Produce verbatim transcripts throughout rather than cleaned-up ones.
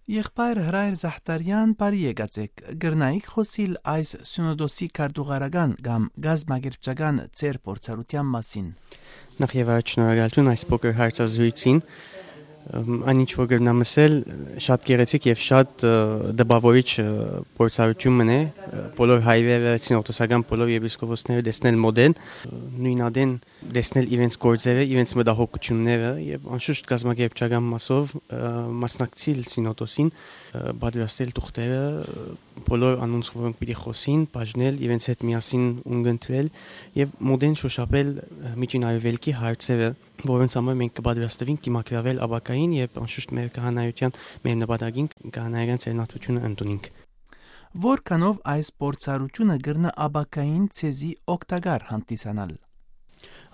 Եղբայր Հրայր Զահտարեան, բարի եկած էք։ Կրնայիք խօսիլ այս սինոդոսի քարտուղարական կամ կազմակերպչական ձեր փորձառութեան մասին։ Նախ եւ առաջ շնորհակալություն այս փոքր հարցազրույցին։ Ըմ, այն ինչ որ կրնամ ասել, շատ գեղեցիկ եւ շատ, ը, տպավորիչ, ը, փորձառութիւն մըն է, ը, բոլոր հայրերը, սինոդոսական բոլոր եպիսկոպոսները տեսնել մոդեն, ը, նոյնատեն տեսնել իրենց գործերը, իրենց մտահոգությունները եւ անշուշտ կազմակերպչական մասով, ը, մասնակցիլ սինոդոսին, ը, պատրաստել թուղթերը, ը, բոլոր անոնց, որոնք պիտի խօսին, բաժնել, իրենց հետ միասին ունգընտրել եւ մոդեն շոշափել, ը, Միջին Արեւելքի հարցերը, որոնց համար մենք կպատրաստվենք դիմագրավել ապագային, երբ անշուշտ մեր քահանայության, մեր նպատակին քահանայական ծերնատությունը ընդունենք։ Որքանով այս փորձառութիւնը կրնայ ապագային ձեզի օգտակար հանդիսանալ։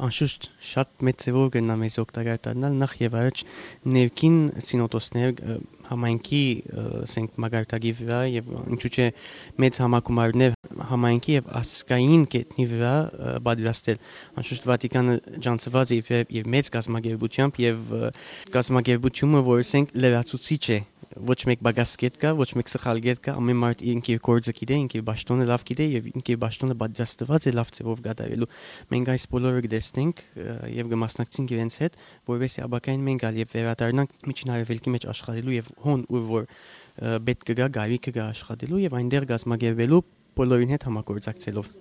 Անշուշտ շատ մեծ ձեւով կրնայ մեզ օգտակար դառնալ, նախ եւ առաջ ներքին սինոդոսներ, ը, համայնքի, ը, ասենք, մակարդակի վրայ եւ ինչու՞ չէ մեծ համագումարներ համայնքի եւ ազգային կետնի վրայ, ը, պատրաստել։ Անշուշտ Վատիկանը ջանցուած է իր, իր մեծ կազմակերպութեամբ եւ, ը, կազմակերպութիւնը, որ, ասենք, լրացուցիչ է, ոչ մէկ պակաս կետ կայ, ոչ մէկ սխալ կետ կայ, ամէն մարդ ինք իր գործը գիտէ, ինք իր պաշտօնը լաւ գիտէ եւ ինք իր պաշտօնը պատրաստուած է լաւ ձեւով կատարելու։ Մենք այս բոլորը կտեսնենք, ը, եւ կմասնակցենք իրենց հետ, որովհետեւ ապագային մենք ալ երբ վերադառնանք Միջին Արեւելքի մեջ աշխատելու եւ հոն, ուր որ, ը, պետք կը գայ, կարիքը կայ աշխատելու եւ այնտեղ կազմակերպելու բոլորին հետ համագործակցելով։